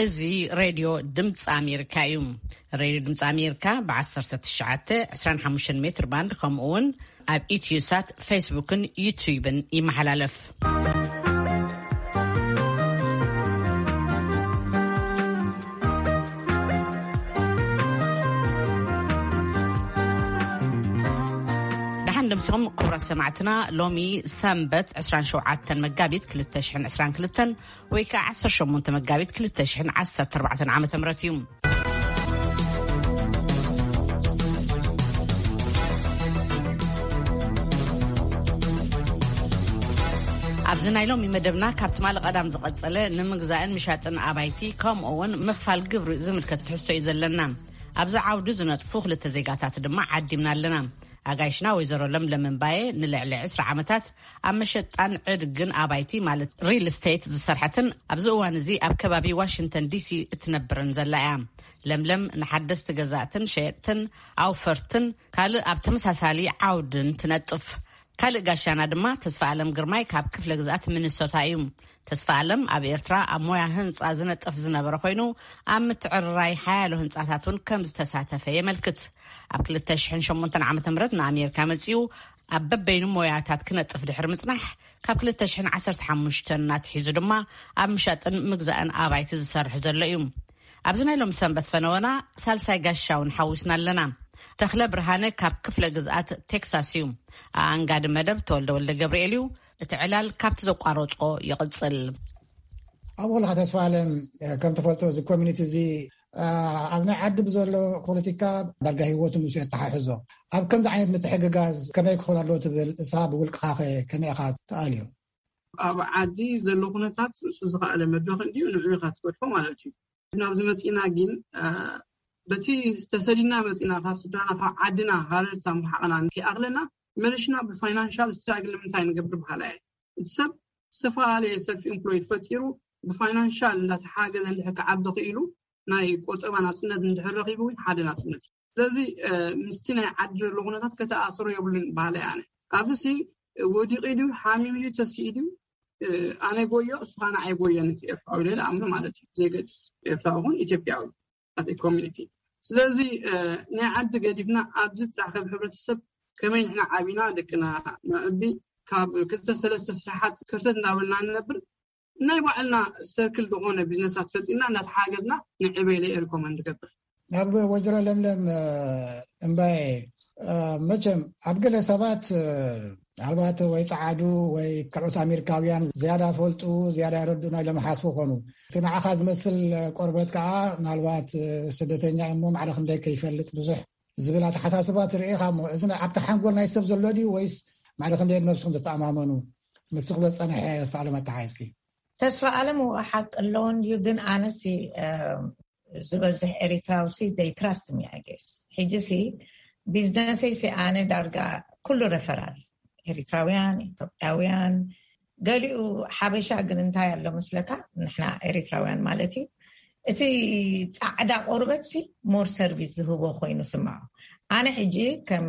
እዚ ሬድዮ ድምፂ ኣሜሪካ እዩ። ሬድዮ ድምፂ ኣሜሪካ ብ19፣ 25 ሜትር ባንድ፣ ከምኡ እውን ኣብ ኢትዮሳት፣ ፌስቡክን ዩትዩብን ይመሓላለፍ። ደሓን ደምሲኹም ክቡራት ሰማዕትና። ሎሚ ሰንበት 27 መጋቢት 2022 ወይ ከዓ 18 መጋቢት 2014 ዓ.ም እዩ። ኣብዚ ናይ ሎሚ መደብና ካብ ትማሊ ቀዳም ዝቐጸለ ንምግዛእን ምሻጥን ኣባይቲ ከምኡ እውን ምኽፋል ግብሪ ዝምልከት ትሕዝቶ እዩ ዘለና። ኣብዚ ዓውዲ ዝነጥፉ ክልተ ዜጋታት ድማ ዓዲምና ኣለና። ኣጋይሽና ወይዘሮ ለምለም እምባየ ንልዕሊ 20 ዓመታት ኣብ መሸጣን ዕድግን ኣባይቲ ማለት ሪል ስቴት ዝሰርሐትን ኣብዚ እዋን እዚ ኣብ ከባቢ ዋሽንግተን ዲሲ እትነብርን ዘላ እያ። ለምለም ንሓደስቲ ገዛእትን ሸየጥትን ኣውፈርትን ካልእ ኣብ ተመሳሳሊ ዓውድን ትነጥፍ። ካልእ ጋሻና ድማ ተስፋ ኣለም ግርማይ ካብ ክፍለ ግዝኣት ሚኒሶታ እዩ። ተስፋ ኣለም ኣብ ኤርትራ ኣብ ሞያ ህንጻ ዝነጥፍ ዝነበረ ኮይኑ ኣብ ምትዕርራይ ሓያሎ ህንጻታት እውን ከም ዝተሳተፈ የመልክት። ኣብ 2008 ዓ.ም ንኣሜሪካ መጺኡ ኣብ በበይኑ ሞያታት ክነጥፍ ድሕሪ ምጽናሕ ካብ 2015 እናትሒዙ ድማ ኣብ ምሻጥን ምግዛእን ኣባይቲ ዝሰርሕ ዘሎ እዩ። ኣብዚ ናይ ሎም ሰንበት ፈነወና ሳልሳይ ጋሻውን ሓዊስና ኣለና። ተኽለ ብርሃነ ካብ ክፍለ ግዝኣት ቴክሳስ እዩ። ኣኣንጋዲ መደብ ተወልደ ወልደ ገብርኤል እዩ። እቲ ዕላል ካብቲ ዘቋረጾ ይቕጽል። ኣብ ወልኻ ተስፋ ኣለም፣ ከም ትፈልጦ እዚ ኮሚኒቲ እዚ ኣብ ናይ ዓዲ ብዘሎ ፖለቲካ ዳርጋ ህይወቱ ምስ የተሓሕዞ፣ ኣብ ከምዚ ዓይነት ምትሕግጋዝ ከመይ ክኾን ኣለዎ ትብል? እሳ ብውልቅኻ ከ ከመይ ኢኻ ትኣልዮ? ኣብ ዓዲ ዘሎ ኩነታት ርእሱ ዝኸኣለ መድረኽ እንዲዩ ንዑ ኢኻ ትገድፎ ማለት እዩ። ናብዚ መጺና ግን በቲ ዝተሰዲና መጺና ካብ ስድራና ካብ ዓድና ሃረርታ ምርሓቕና ከይኣኽለና መለሽና ብፋይናንሻል ስትራግል ንምንታይ ንገብር በሃላይ እየ። እቲ ሰብ ዝተፈላለየ ሰልፍ ኢምፕሎይድ ፈጢሩ ብፋይናንሻል እንዳተሓገዘ እንድሕር ክዓቢ ክኢሉ ናይ ቆጠባ ናጽነት እንድሕር ረኺቡ እውን ሓደ ናጽነት እዩ። ስለዚ ምስቲ ናይ ዓዲ ዘሎ ኩነታት ከተኣሰሮ የብሉን በሃላይ ኣነ። ኣብዚ ሲ ወዲቂ ድዩ ሓሚሙ ድዩ ተሲኡ ድዩ ኣነ ጎዮ እሱ ኻና ኣይጎየን እቲ ኤርትራዊ ኢለ ዝኣምኑ ማለት እዩ። ዘይገድስ ኤርትራዊ ይኹን ኢትዮጵያዊ ኣቲ ኮሚኒቲ። ስለዚ ናይ ዓዲ ገዲፍና ኣብዚ ጥራሕ ከም ሕብረተሰብ ከመይ ንሕና ዓቢና ደቅና ነዕቢ ካብ ክልተ ሰለስተ ስራሓት ከርተት እናበልና ንነብር ናይ ባዕልና ሰርክል ዝኾነ ቢዝነሳት ፈጢርና እናተሓገዝና ንዕበ ኢለ ሪኮመንድ ገብር። ናብ ወይዘሮ ለምለም እምባየ፣ መቸም ኣብ ገለ ሰባት ምናልባት ወይ ጸዓዱ ወይ ካልኦት ኣሜሪካውያን ዝያዳ ፈልጡ ዝያዳ ይረድኡና ኢሎም ሓስቡ ኾኑ። እቲ ንዓኻ ዝመስል ቆርበት ከዓ ምናልባት ስደተኛ እሞ ማዕረ ክንደይ ከይፈልጥ ብዙሕ ዝብል ኣተሓሳስባ ትርኢ ኢኻ እሞ፣ እዚ ኣብቲ ሓንጎል ናይ ሰብ ዘሎ ድዩ ወይስ ማዕረ ክንደይ ነብስኹም ትተኣማመኑ? ምስ ክበ ጸንሐ ዝተኣለመ ኣተሓሒዝኪ። ተስፋ ኣለም ወ ሓቂ ኣለዎ እንድዩ፣ ግን ኣነሲ ዝበዝሕ ኤሪትራውሲ ደይ ትራስት ሚ ኣይ ጌስ። ሕጂሲ ቢዝነሰይሲ ኣነ ዳርጋ ኩሉ ረፈራል ኤሪትራውያን፣ ኢትዮጵያውያን፣ ገሊኡ ሓበሻ ግን እንታይ ኣሎ መስለካ? ንሕና ኤሪትራውያን ማለት እዩ። እቲ ጻዕዳ ቆርበትሲ ሞር ሰርቪስ ዝህቦ ኮይኑ ስምዖ። ኣነ ሕጂ ከም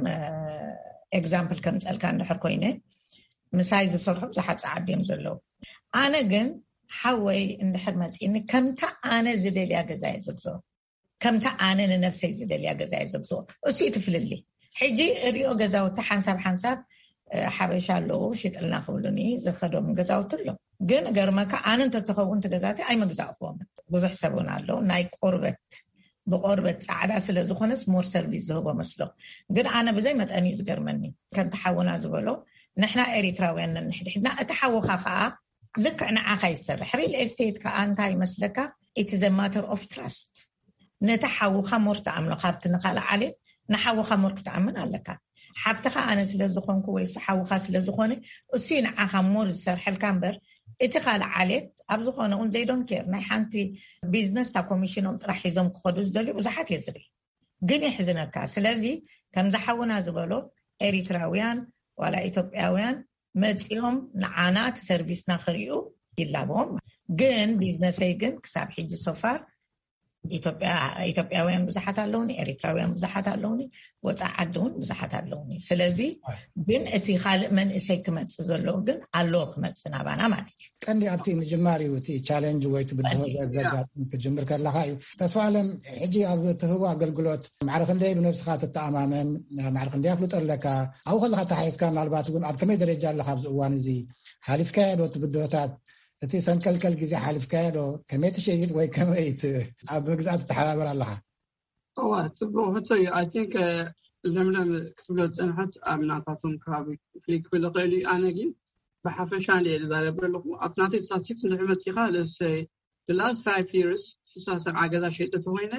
ኤግዛምፕል ከም ጸልካ እንድሕር ኮይነ ምሳይ ዝሰርሑ ብዙሓት ጸዓዱ እዮም ዘለዉ። ኣነ ግን ሓወይ እንድሕር መጺኒ ከምታ ኣነ ዝደልያ ገዛ እየ ዝግዝኦ። ከምታ ኣነ ንነብሰይ ዝደልያ ገዛ እየ ዘግዝኦ። እሱ እዩ እቲ ፍልልይ። ሕጂ እሪኦ ገዛውቲ ሓንሳብ ሓንሳብ ሓበሻ ኣለዉ ሽጥልና ክብሉኒ ዝኸዶም ገዛውቲ ኣሎ። ግን ገርመካ ኣነ እንተተኸውን እቲ ገዛቲ ኣይመግዛእክዎምን። ብዙሕ ሰብ እውን ኣሎ ናይ ቆርበት ብቆርበት ጻዕዳ ስለ ዝኾነስ ሞር ሰርቪስ ዝህቦ መስሎ። ግን ኣነ ብዘይ መጠን እዩ ዝገርመኒ። ከምቲ ሓውና ዝበሎ ንሕና ኤሪትራውያን ነንሕድሕድና እቲ ሓውኻ ከዓ ልክዕ ንዓኻ ይሰርሕ። ሪል ኤስቴት ከዓ እንታይ ይመስለካ? ኢት ዘ ማተር ኦፍ ትራስት። ነቲ ሓውኻ ሞር ትኣምኖ ካብቲ ንኻልእ ዓሌት ንሓውኻ ሞር ክትኣምን ኣለካ። ሓፍትኻ ኣነ ስለ ዝኾንኩ ወይ እሱ ሓውኻ ስለ ዝኾነ እሱ እዩ ንዓኻ ሞር ዝሰርሐልካ እምበር እቲ ካልእ ዓሌት ኣብ ዝኾነ እውን ዘይዶን ኬር ናይ ሓንቲ ቢዝነስ እታ ኮሚሽኖም ጥራሕ ሒዞም ክኸዱ ዝደልዩ ብዙሓት እየ ዝርኢ። ግን የሕዝነካ። ስለዚ ከምዚ ሓውና ዝበሎ ኤሪትራውያን ዋላ ኢትዮጵያውያን መጺኦም ንዓና እቲ ሰርቪስና ክርእዩ ይላቦም። ግን ቢዝነሰይ ግን ክሳብ ሕጂ ሶፋር ኢትዮጵያውያን ብዙሓት ኣለውኒ፣ ኤሪትራውያን ብዙሓት ኣለውኒ፣ ወፃኢ ዓዲ እውን ብዙሓት ኣለውኒ። ስለዚ ግን እቲ ካልእ መንእሰይ ክመፅእ ዘለዎ ግን ኣለዎ ክመፅእ ናባና ማለት እዩ። ቀንዲ ኣብቲ ምጅማር እዩ፣ እቲ ቻለንጅ ወይ እቲ ብድሆ ዘጋጥም ክጅምር ከለካ እዩ። ተስፋ ኣለም፣ ሕጂ ኣብ ትህቦ ኣገልግሎት ማዕረ ክንደይ ብነብስካ ትተኣማመን፣ ማዕረ ክንደይ ኣፍልጦ ኣለካ? ኣብኡ ከለካ ተሓይዝካ ምናልባት እውን ኣብ ከመይ ደረጃ ኣለካ ኣብዚ እዋን እዚ? ሓሊፍካዮ ዶ እቲ ብድሆታት? እቲ ሰንከልከል ግዜ ሓሊፍካዮ ዶ? ከመይ ትሸይጥ ወይ ከመይ ኣብ ምግዛእ ትተሓባበር ኣለካ? እዋ፣ ፅቡቅ ሕቶ እዩ። I think ለምለም ክትብሎ ዝፀንሐት ኣብ ናታቶም ከባቢ ፍሊክ ክብል ይኽእል እዩ። ኣነ ግን ብሓፈሻ እንደ ዝዛረብ ኣለኹ። ኣብ ናተይ ስታቲስቲክስ ንድሕሪ መፂኻ ለሰ the last five years ስሳ ሰብዓ ገዛ ሸይጠ ተኮይነ፣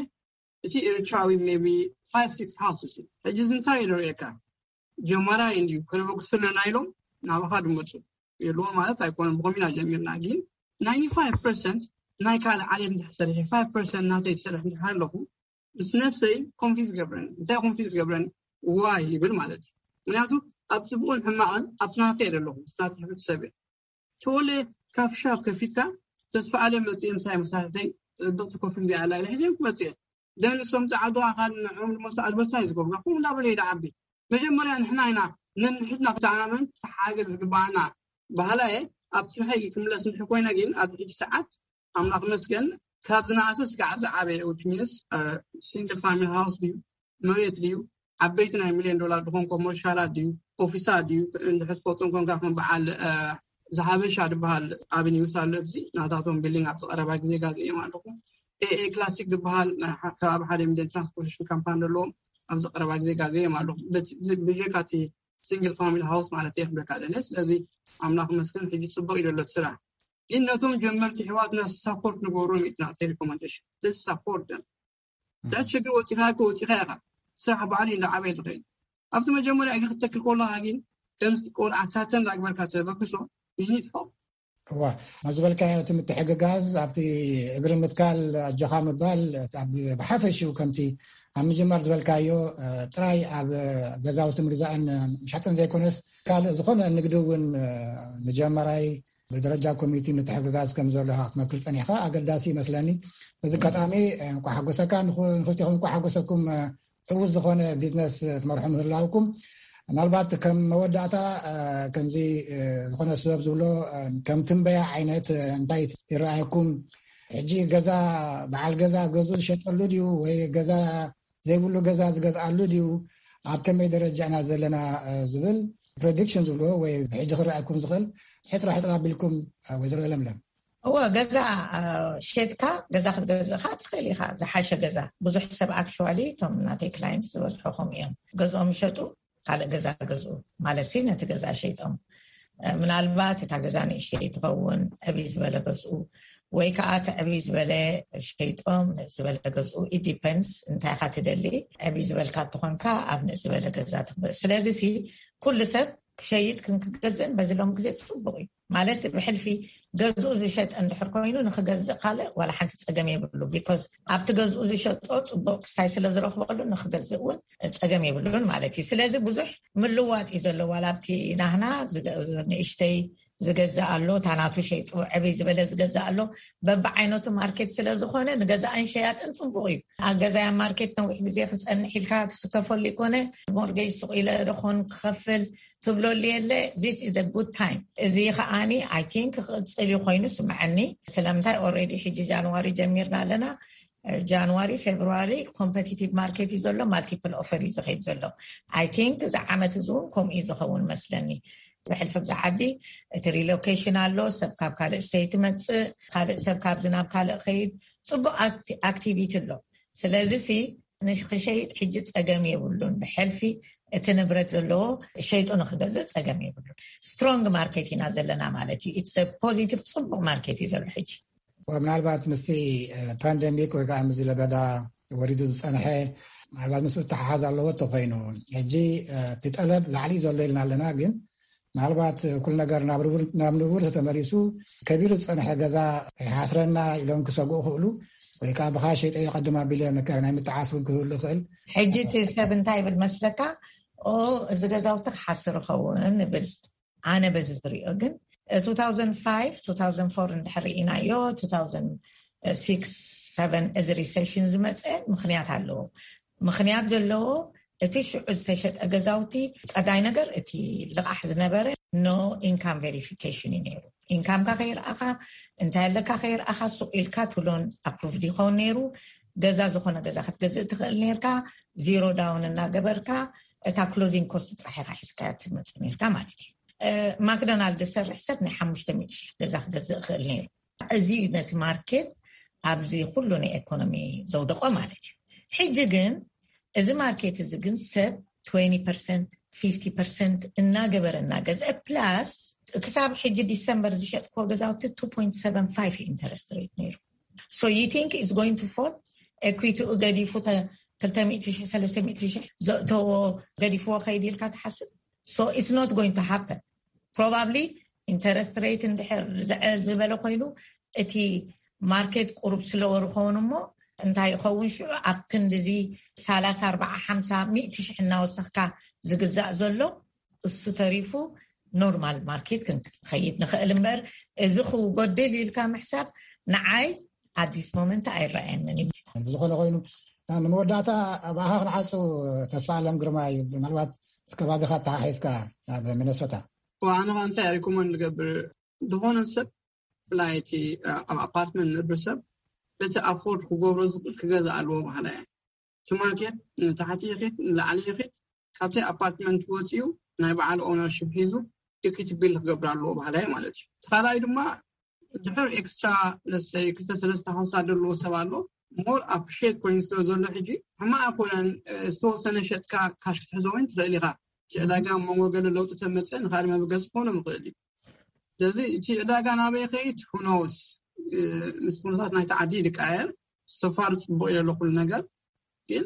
እቲ ኤርትራዊ maybe five six houses እዩ። ሕጂ እዚ እንታይ ይረእየካ? ጀማራይ እንዲዩ ከነበግሱ ኣለና ኢሎም ናባኻ ድመፁ የለዎ ማለት ኣይኮነን። ብኮሚና ጀሚርና ግን ninety five percent ናይ ካልእ ዓሌት እንድሕር ሰሪሐ፣ five percent ናተይ ዝሰርሕ እንድሕር ኣለኹ፣ ምስ ነፍሰይ ኮንፊዝ ገብረን። እንታይ ኮንፊዝ ገብረን? ዋይ ይብል ማለት እዩ። ምክንያቱ ኣብ ፅቡቅን ሕማቅን ኣብቲ ናተይ ዘለኹ፣ ምስ ናተይ ሕብረተሰብ እየ። ተወለ ካፍሻ ከፊትካ፣ ተስፋ ኣለም መፅየ ምሳይ መሳርሕተይ ፅብቅቲ ኮፊ ዚኣ ኣላ ኢለ ሒዘ ክመፅየ። ደን እሶም ፃዕዱ ኣካል ንዕኦም ድማ ኣድቨርታይዝ ገብሩ ኩም እንዳበለ ይደዓቢ። መጀመርያ ንሕና ኢና ነንሕድና ክተኣማመን ሓገዝ ዝግባኣና። ባህላየ ኣብ ስርሐይ ክምለስ ንድሕር ኮይነ ግን ኣብ ሕጂ ሰዓት ኣምላኽ መስገን ካብ ዝነኣሰ ስጋዕ ዝዓበየ፣ which means single family house ድዩ፣ መሬት ድዩ፣ ዓበይቲ ናይ ሚልዮን ዶላር ድኾን ኮመርሻላት ድዩ፣ ኦፊሳት ድዩ፣ እንድሕር ትፈልጦም ኮንካ ከም በዓል ዝሃበሻ ድበሃል ኣቨኒውስ ኣሎ። ኣብዚ ናታቶም ቢልዲንግ ኣብዚ ቀረባ ግዜ ጋዜኦም ኣለኹ። ኤኤ ክላሲክ ዝበሃል ከባቢ ሓደ ሚልዮን ትራንስፖርቴሽን ካምፓኒ ዘለዎም ኣብዚ ቀረባ ግዜ ጋዜኦም ኣለኹ። ብጀካ እቲ ሲንግል ፋሚሊ ሃውስ ማለት እየ ክብለካ ደለ። ስለዚ ኣምላኽ መስገን ሕጂ ፅቡቅ እዩ ዘሎ ስራሕ። ግን ነቶም ጀመርቲ ኣሕዋትና ሳፖርት ንገብሮም ኢና፣ ቴሌኮመንዴሽን ሳፖርት ደም ዳት ችግር ወፂኻ እኮ ወፂኻ ኢኻ። ስራሕ ባዕሉ እንዳዓበየ ዝኸይድ ኣብቲ መጀመርያ እግሪ ክትተክል ከለኻ ግን ከምዚ ቆልዓ ካተን ዳግበርካ ተበግሶ ይኒድ ፎ እዋ፣ ኣብ ዝበልካዮ እቲ ምትሕግጋዝ ኣብቲ እግሪ ምትካል ኣጆኻ ምባል ብሓፈሽኡ ከምቲ ኣብ ምጅማር ዝበልካዮ ጥራይ ኣብ ገዛውቲ ምግዛእን ምሻጥን ዘይኮነስ ካልእ ዝኾነ ንግዲ እውን ምጀመራይ ብደረጃ ኮሚቲ ምትሕግጋዝ ከም ዘሎ ክትመክር ፀኒሕካ ኣገዳሲ ይመስለኒ። በዚ ኣጋጣሚ እንኳ ሓጎሰካ፣ ንክልቲኹም እንኳ ሓጎሰኩም። ዕዉት ዝኾነ ቢዝነስ ትመርሑ ምህላውኩም፣ ምናልባት ከም መወዳእታ ከምዚ ዝኾነ ስበብ ዝብሎ ከም ትንበያ ዓይነት እንታይ ይረኣየኩም? ሕጂ ገዛ በዓል ገዛ ገዝኡ ዝሸጠሉ ድዩ ወይ ገዛ ዘይብሉ ገዛ ዝገዝኣሉ ድዩ? ኣብ ከመይ ደረጃ ኢና ዘለና ዝብል ፕሬዲክሽን ዝብልዎ ወይ ሕጂ ክረኣየኩም ዝኽእል ሕፅራ ሕፅራ ኣቢልኩም ወይዘሮ ለምለም። እወ፣ ገዛ ሸጥካ ገዛ ክትገዝእ ከኣ ትኽእል ኢኻ። ዝሓሸ ገዛ ብዙሕ ሰብ ኣክሽዋሊ እቶም ናተይ ክላይንት ዝበዝሑ ከምኡ እዮም። ገዝኦም ይሸጡ፣ ካልእ ገዛ ገዝኡ ማለት ሲ ነቲ ገዛ ሸይጦም ምናልባት እታ ገዛ ንእሽተይ ትኸውን ዕብይ ዝበለ ገዝኡ ወይ ከዓ እቲ ዕብይ ዝበለ ሸይጦም ንእስ ዝበለ ገዝኡ ኢዲፐንስ እንታይ ኢኻ ትደሊ። ዕብይ ዝበልካ ትኾንካ ኣብ ንእስ ዝበለ ገዛ ትኽበ ስለዚ ሲ ኩሉ ሰብ ክሸይጥ ክንክገዝእን በዚ ሎም ግዜ ፅቡቅ እዩ። ማለት ብሕልፊ ገዝኡ ዝሸጠ እንድሕር ኮይኑ ንክገዝእ ካልእ ዋላ ሓንቲ ፀገም የብሉ። ቢኮዝ ኣብቲ ገዝኡ ዝሸጦ ፅቡቅ ክሳይ ስለ ዝረክበሉ ንክገዝእ እውን ፀገም የብሉን ማለት እዩ። ስለዚ ብዙሕ ምልዋጥ እዩ ዘሎ። ዋላ ኣብቲ ናህና ንእሽተይ ዝገዝእ ኣሎ፣ ታናቱ ሸይጡ ዕብይ ዝበለ ዝገዝእ ኣሎ። በብዓይነቱ ማርኬት ስለ ዝኾነ ንገዛእን ሸያጥን ፅቡቅ እዩ። ኣብ ገዛያ ማርኬት ነዊሕ ግዜ ክፀንሕ ኢልካ ትስከፈሉ ይኮነ። ሞርጌጅ ሱቅ ኢለ ዶኾን ክኸፍል ትብለሉ የለ። This is a good time። እዚ ከዓኒ I think ክቕፅል እዩ ኮይኑ ስምዐኒ። ስለምንታይ ኦልሬዲ ሕጂ ጃንዋሪ ጀሚርና ኣለና። ጃንዋሪ ፌብርዋሪ ኮምፐቲቲቭ ማርኬት እዩ ዘሎ። ማልቲፕል ኦፈር እዩ ዝኸይድ ዘሎ። I think እዚ ዓመት እዚ እውን ከምኡ እዩ ዝኸውን መስለኒ። ብሕልፊ ብዛ ዓዲ እቲ ሪሎኬሽን ኣሎ። ሰብ ካብ ካልእ ስተይት መፅእ፣ ካልእ ሰብ ካብዚ ናብ ካልእ ኸይድ። ፅቡቅ ኣክቲቪቲ ኣሎ። ስለዚ ሲ ንክሸይጥ ሕጂ ፀገም የብሉን። ብሕልፊ እቲ ንብረት ዘለዎ ሸይጡ ንክገዝእ ፀገም የብሉን። ስትሮንግ ማርኬት ኢና ዘለና ማለት እዩ። ኢትስ ፖዚቲቭ ፅቡቅ ማርኬት እዩ ዘሎ ሕጂ። ምናልባት ምስቲ ፓንደሚክ ወይ ከዓ ምስዚ ለበዳ ወሪዱ ዝፀንሐ ምናልባት ምስ ተሓሓዝ ኣለዎ ተኮይኑ ሕጂ እቲ ጠለብ ላዕሊ ዘሎ ኢልና ኣለና። ግን ምናልባት ኩሉ ነገር ናብ ንቡር ተመሊሱ ከቢሩ ዝፀንሐ ገዛ ይሓስረና ኢሎም ክሰግኡ ክእሉ ወይ ከዓ ብካ ሸይጠ ይቀድም ኣቢለ ናይ ምትዓስ እውን ክህሉ ይኽእል። ሕጂ እቲ ሰብ እንታይ ይብል መስለካ? ኦ፣ እዚ ገዛውቲ ክሓስር ይኸውን ይብል። ኣነ በዚ ዝሪኦ ግን two thousand five two thousand four እንድሕር ርኢናዮ two thousand ሲክስ ሰቨን እዚ ሪሰሽን ዝመፀ ምክንያት ኣለዎ። ምክንያት ዘለዎ እቲ ሽዑ ዝተሸጠ ገዛውቲ ቀዳይ ነገር እቲ ልቓሕ ዝነበረ no income verification እዩ ነይሩ። ኢንካምካ ከይረኣኻ እንታይ ኣለካ ከይረኣኻ ሱቕ ኢልካ ትብሎን ኣፕሩቭድ ይኸውን ነይሩ። ገዛ ዝኾነ ገዛ ክትገዝእ ትኽእል ነርካ። ዚሮ ዳውን እናገበርካ እታ ክሎዚንግ ኮስት ጥራሕ ኢኻ ሒዝካ ትመፅእ ነርካ ማለት እዩ። ማክዶናልድ ዝሰርሕ ሰብ ናይ ሓሙሽተ ሚእቲ ሺሕ ገዛ ክገዝእ ይኽእል ነይሩ። እዚ ነቲ ማርኬት ኣብዚ ኩሉ ናይ ኢኮኖሚ ዘውደቆ ማለት እዩ። ሕጂ ግን እዚ ማርኬት እዚ ግን ሰብ ትወንቲ ፐርሰንት ፊፍቲ ፐርሰንት እናገበረ እናገዝአ ፕላስ ክሳብ ሕጂ ዲሰምበር ዝሸጥክዎ ገዛውቲ two point seven five ኢንተረስት ሬት ነይሩ። So you think it's going to fall? ኤኩዊቲኡ ገዲፉ ክልተ ሚእቲ ሺሕ ሰለስተ ሚእቲ ሺሕ ዘእተዎ ገዲፍዎ ከይድ ኢልካ ትሓስብ? So it's not going to happen. Probably ኢንተረስት ሬት እንድሕር ዝዕል ዝበለ ኮይኑ እቲ ማርኬት ቁሩብ ስለወርኸውን እሞ እንታይ ይኸውን ሽዑ ኣብ ክንዲዚ ሰላሳ ኣርባዓ ሓምሳ ሚእቲ ሽሕ እናወሰኽካ ዝግዛእ ዘሎ እሱ ተሪፉ ኖርማል ማርኬት ክንከይድ ንኽእል እምበር እዚ ክጎድል ኢልካ ምሕሳብ ንዓይ ኣዲስ ሞመንት ኣይረኣየንን እዩ። ብዝኾነ ኮይኑ ንመወዳእታ ብኣኻ ክንዓፁ ተስፋ ኣለም ግርማ እዩ። ምናልባት ከባቢኻ ተሓሒዝካ ኣብ ሚነሶታ ኣነ እንታይ ሪኮመንድ ንገብር ዝኾነ ሰብ ብፍላይ እቲ ኣብ ኣፓርትመንት ንብር ሰብ በቲ ኣፎርድ ክገብሮ ዝኽእል ክገዛ ኣለዎ ባህላ እየ። እቲ ማርኬት ንታሕቲ ይኽድ ንላዕሊ ይኽድ ካብቲ ኣፓርትመንት ወፂኡ ናይ በዓል ኦነርሽፕ ሒዙ ኢኩቲ ቢል ክገብር ኣለዎ ባህላ እየ ማለት እዩ። እቲ ካልኣይ ድማ ድሕር ኤክስትራ ለሰይ ክልተ ሰለስተ ሓውሳ ዘለዎ ሰብ ኣሎ ሞር ኣፕሪሼት ኮይኑ ስለ ዘሎ ሕጂ ሕማቅ ኣይኮነን። ዝተወሰነ ሸጥካ ካሽ ክትሕዞ ወይ ትኽእል ኢኻ። እቲ ዕዳጋ መንጎ ገለ ለውጢ ተመፀ ንካል መበገስ ክኾኖ ምኽእል እዩ። ስለዚ እቲ ዕዳጋ ናበይ ከይድ ሁኖስ ምስ ኩነታት ናይቲ ዓዲ ይቃየር። ሰፋር ፅቡቅ ኢለ ኩሉ ነገር ግን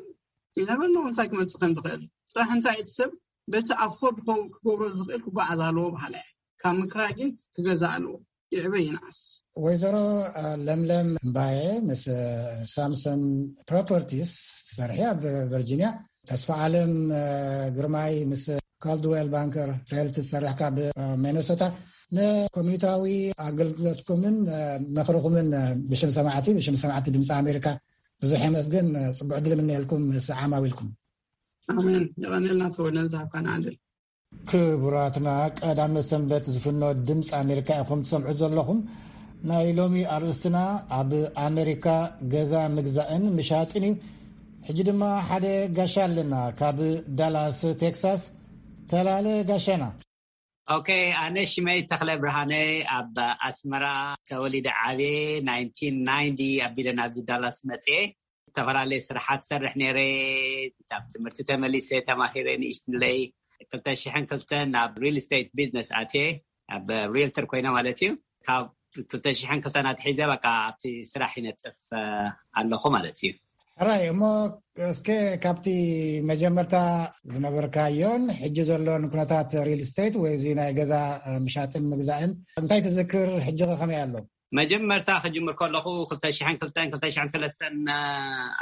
ይነበርኖ እንታይ ክመፅእ ከም ዝኽእል ጥራሕ እንታይ እቲ ሰብ በቲ ኣፎርድ ክገብሮ ዝኽእል ክጓዓዝ ኣለዎ በሃላ እየ። ካብ ምክራይ ግን ክገዛእ ኣለዎ። ይዕበ ይንዓስ። ወይዘሮ ለምለም እምባየ ምስ ሳምሰን ፕሮፐርቲስ ትሰርሒ ኣብ ቨርጂኒያ፣ ተስፋ ዓለም ግርማይ ምስ ካልድዌል ባንከር ሪያልቲ ዝሰርሕ ካብ ሚነሶታ ንኮሚኒታዊ ኣገልግሎትኩምን ምኽርኹምን ብሽም ሰማዕቲ ብሽም ሰማዕቲ ድምፂ ኣሜሪካ ብዙሕ የመስግን። ፅቡዕ ድል ምነየልኩም ምስ ዓማዊልኩም። ኣሜን። የቐንየልና ተወልደ ዝሃብካና ዕድል። ክቡራትና ቀዳመ ሰንበት ዝፍኖ ድምፂ ኣሜሪካ ኢኹም ትሰምዑ ዘለኹም። ናይ ሎሚ ኣርእስትና ኣብ ኣሜሪካ ገዛ ምግዛእን ምሻጥን እዩ። ሕጂ ድማ ሓደ ጋሻ ኣለና ካብ ዳላስ ቴክሳስ። ተላለ ጋሻና። ኦኬ፣ ኣነ ሽመይ ተኽለ ብርሃነ ኣብ ኣስመራ ተወሊደ ዓብየ ናይንቲን ናይንቲ ኣቢለ ናብዚ ዳላስ መፅየ። ዝተፈላለየ ስራሓት ሰርሕ ነይረ። ካብ ትምህርቲ ተመሊሰ ተማሂረ ንእሽትለይ ክልተ ሽሕን ክልተን ናብ ሪል ስቴት ቢዝነስ ኣትየ ኣብ ሪልተር ኮይነ ማለት እዩ። ካብ ክልተ ሽሕን ክልተን ኣትሒዘ በቃ ኣብቲ ስራሕ ይነጥፍ ኣለኹ ማለት እዩ። ሕራይ እሞ እስከ ካብቲ መጀመርታ ዝነበርካዮን ሕጂ ዘሎን ኩነታት ሪል ስቴት ወይ እዚ ናይ ገዛ ምሻጥን ምግዛእን እንታይ ትዝክር? ሕጂ ከመይ ኣሎ? መጀመርታ ክጅምር ከለኹ ክልተ ሽሕን ክልተን ክልተ ሽሕን ሰለስተን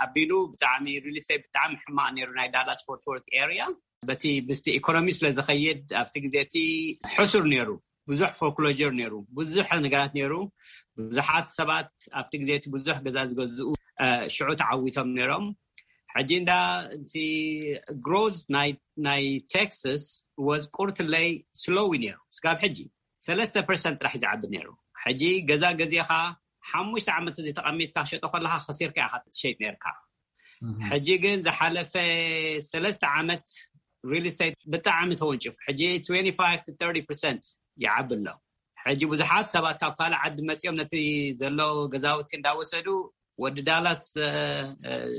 ኣቢሉ ብጣዕሚ ሪል ስቴት ብጣዕሚ ሕማቕ ነይሩ ናይ ዳላስ ፎርት ወርት ኤርያ። በቲ ምስቲ ኢኮኖሚ ስለ ዝኸይድ ኣብቲ ግዜ እቲ ሕሱር ነይሩ። ብዙሕ ፎርክሎጀር ነይሩ። ብዙሕ ነገራት ነይሩ። ብዙሓት ሰባት ኣብቲ ግዜ እቲ ብዙሕ ገዛ ዝገዝኡ ሽዑ ተዓዊቶም ነይሮም። ሕጂ እንዳ እቲ ግሮዝ ናይ ቴክሳስ ወዝ ቁርትለይ ስሎዊ ነይሩ ስጋብ ሕጂ ሰለስተ ፐርሰንት ጥራሕ ዝዓቢ ነይሩ። ሕጂ ገዛ ገዚእኻ ሓሙሽተ ዓመት እዚ ተቐሚጥካ ክሸጦ ከለካ ከሲርካ ኢኻ ትሸይጥ ነርካ። ሕጂ ግን ዝሓለፈ ሰለስተ ዓመት ሪል ስቴት ብጣዕሚ ተወንጭፉ። ሕጂ ትወንቲ ፋይቭ ቱ ተርቲ ፐርሰንት ይዓቢ ኣሎ። ሕጂ ብዙሓት ሰባት ካብ ካልእ ዓዲ መፂኦም ነቲ ዘሎ ገዛውቲ እንዳወሰዱ ወዲ ዳላስ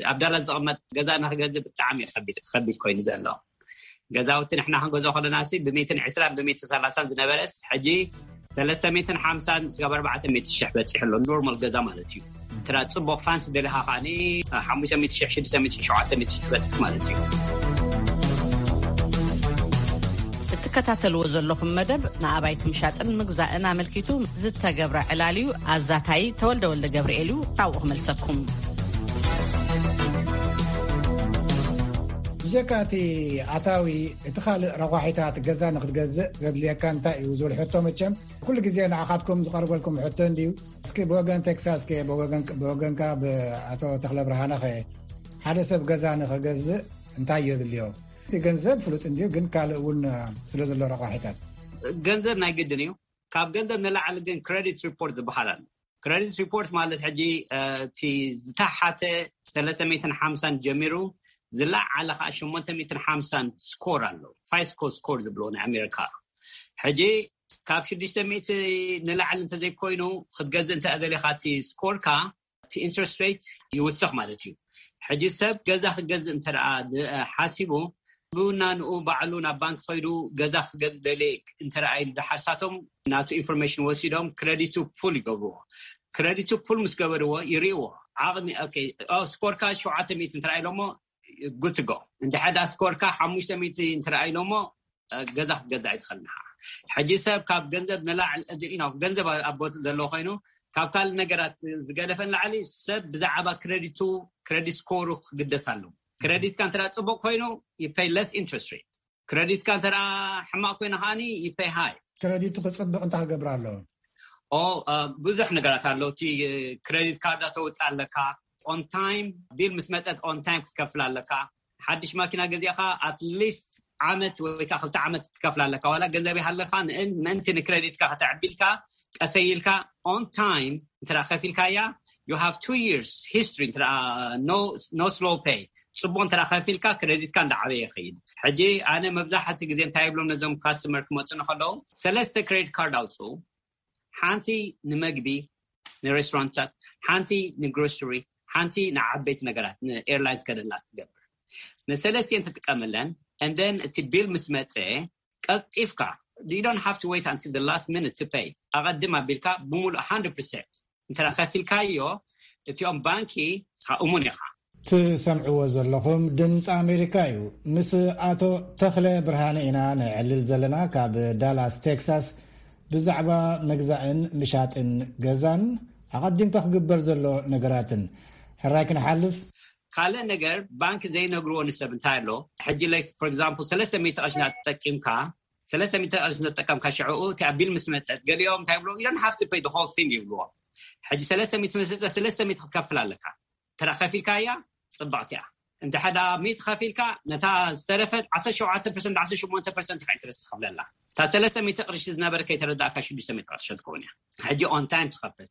ኣብ ዳላስ ዝቕመጥ ገዛ ንክገዝእ ብጣዕሚ ከቢድ ኮይኑ ዘሎ ገዛውቲ ንሕና ክንገዝኦ ከለና ሲ ብሚትን ዕስራን ብሚትን ሰላሳን ዝነበረስ ሕጂ ሰለስተ ሚትን ሓምሳን ስጋብ ኣርባዕተ ሚእቲ ሽሕ በፂሑ ኣሎ። ኖርማል ገዛ ማለት እዩ። እንተ ጽቡቕ ፋንስ ደሊኻ ከዓኒ ሓሙሽተ ሚእቲ ሽሕ ሽዱሽተ ሚእቲ ሽሕ ሸውዓተ ሚእቲ ሽሕ በፅሕ ማለት እዩ። እትከታተልዎ ዘለኹም መደብ ንኣባይቲ ምሻጥን ምግዛእን ኣመልኪቱ ዝተገብረ ዕላል እዩ። ኣዛታይ ተወልደ ወልደ ገብርኤል እዩ። ናብኡ ክመልሰኩም። ብጀካ እቲ ኣታዊ፣ እቲ ካልእ ረቋሒታት ገዛ ንክትገዝእ ዘድልየካ እንታይ እዩ ዝብል ሕቶ፣ መቸም ኩሉ ግዜ ንኣኻትኩም ዝቐርበልኩም ሕቶ እንድዩ። እስኪ ብወገን ቴክሳስ ከ፣ ብወገን፣ ብወገንካ ብኣቶ ተኽለ ብርሃነ ኸ፣ ሓደ ሰብ ገዛ ንኸገዝእ እንታይ የድልዮ? እቲ ገንዘብ ፍሉጥ እንድዩ፣ ግን ካልእ እውን ስለ ዘሎ ረቋሒታት። ገንዘብ ናይ ግድን እዩ። ካብ ገንዘብ ንላዕሊ ግን ክሬዲት ሪፖርት ዝበሃል ኣሎ። ክሬዲት ሪፖርት ማለት ሕጂ፣ እ፣ እቲ ዝተሓተ ሰለስተ ሚእትን ሓምሳን ጀሚሩ ዝለዓለ ከዓ ሸሞንተ ሚእትን ሓምሳን ስኮር ኣሎ። ፋይስኮ ስኮር ዝብሎ ናይ ኣሜሪካ። ሕጂ ካብ ሽዱሽተ ሚእቲ ንላዕሊ እንተዘይኮይኑ ክትገዝእ እንተ ደሊኻ እቲ ስኮርካ፣ እቲ ኢንትረስት ሬት ይውስኽ ማለት እዩ። ሕጂ ሰብ ገዛ ክገዝእ እንተ ደኣ ድ-፣ ሓሲቡ፣ ብውናንኡ ባዕሉ ናብ ባንክ ከይዱ ገዛ ክገዝእ ደልየ እንተ ደኣ ኢሉ ድሓር ሳቶም ናቱ ኢንፎርሜሽን ወሲዶም ክረዲቱ ፑል ይገብርዎ። ክረዲቱ ፑል ምስ ገበርዎ ይርእይዎ። ዓቕሚ፣ ኦኬ፣ ኦ፣ ስኮርካ ሸውዓተ ሚእቲ እንተ ደኣ ኢሎሞ፣ ጉድ ቱ ጎ። እንድሕር ደኣ ስኮርካ ሓሙሽተ ሚእቲ እንተ ደኣ ኢሎሞ፣ እ፣ ገዛ ክትገዛ ኣይትኽእልን ኢኻ። ሕጂ ሰብ ካብ ገንዘብ ንላዕሊ፣ እ፣ you know፣ ገንዘብ ኣብ ቦትኡ ዘለዎ ኮይኑ ካብ ካልእ ነገራት ዝገደፈ ንላዕሊ ሰብ ብዛዕባ ክረዲቱ፣ ክረዲት ስኮሩ ክግደስ ኣለዎ። ክረዲትካ እንተ ደኣ ጽቡቕ ኮይኑ፣ you pay less interest rate። ክረዲትካ እንተ ደኣ ሕማቕ ኮይኑ ከኣኒ፣ you pay high። ክረዲቱ ክጽብቕ እንታይ ክገብር ኣለዎ? ኦ፣ እ፣ ብዙሕ ነገራት ኣሎ። እቲ፣ እ፣ ክረዲት ካርዳ ተውጽእ ኣለካ። ኦን ታይም፣ ቢል ምስ መጸት ኦን ታይም ክትከፍል ኣለካ። ሓድሽ ማኪና ገዚእኻ ኣትሊስት ዓመት ወይ ከዓ ክልተ ዓመት ክትከፍል ኣለካ። ዋላ ገንዘብ ይሃለካ፣ ንእን-፣ ምእንቲ ንክረዲትካ ከተዕቢልካ፣ ቀሰይ ኢልካ ኦን ታይም እንተ ደኣ ከፊልካያ፣ you have two years history፣ እንተ ደኣ no፣ no slow pay፣ ጽቡቕ እንተ ደኣ ከፊልካ፣ ክረዲትካ እንዳዓበየ ይኸይድ። ሕጂ ኣነ መብዛሕቲ ግዜ እንታይ ይብሎም ነዞም ካስተመር ክመጹ ከለዉ፣ ሰለስተ ክሬዲት ካርድ ኣውጽኡ። ሓንቲ ንመግቢ፣ ንሬስቶራንትታት፣ ሓንቲ ንግሮሰሪ፣ ሓንቲ ንዓበይቲ ነገራት፣ ንኤርላይንስ ከደላ ትገብር። ንሰለስቲኤን ትጥቀመለን፣ and then እቲ ቢል ምስ መጸ፣ ቀልጢፍካ፣ you don't have to wait until the last minute to pay። ኣቐድም ኣቢልካ ብምሉእ hundred percent እንተ ከፊልካዮ፣ እቲኦም ባንኪ እሙን ኢኻ። ትሰምዕዎ ዘለኹም ድምፂ ኣሜሪካ እዩ። ምስ ኣቶ ተኽለ ብርሃነ ኢና ንዕልል ዘለና። ካብ ዳላስ ቴክሳስ፣ ብዛዕባ ምግዛእን ምሻጥን ገዛን ኣቐዲምካ ክግበር ዘሎ ነገራትን ሕራይ ክንሓልፍ። ካልእ ነገር ባንክ ዘይነግርዎ ንሰብ እንታይ ኣሎ? ሕጂ፣ like, for example፣ ሰለስተ ሚእቲ ቅርሺ እናተጠቂምካ፣ ሰለስተ ሚእቲ ቅርሺ እናተጠቀምካ፣ ሽዕኡ እቲ ኣብ ቢል ምስ መጸት፣ ገሊኦም እንታይ ይብሉ? You don't have to pay the whole thing ይብልዎ። ሕጂ ሰለስተ ሚእቲ ምስ መጸ፣ ሰለስተ ሚእቲ ክትከፍል ኣለካ። ተራ ከፊልካያ ጽብቕቲ እያ። እንተ ሓደ ሚእቲ ከፊልካ፣ ነታ ዝተረፈት ዓሰርተ ሸውዓተ ፐርሰንት፣ ዓሰርተ ሸሞንተ ፐርሰንት ኢኻ ኢንትረስት ትኸፍለላ። እታ ሰለስተ ሚእቲ ቅርሺ ዝነበረ ከይተረዳእካ ሽዱሽተ ሚእቲ ቅርሺ ትኸውን እያ። ሕጂ ኦን ታይም ትኸፍል።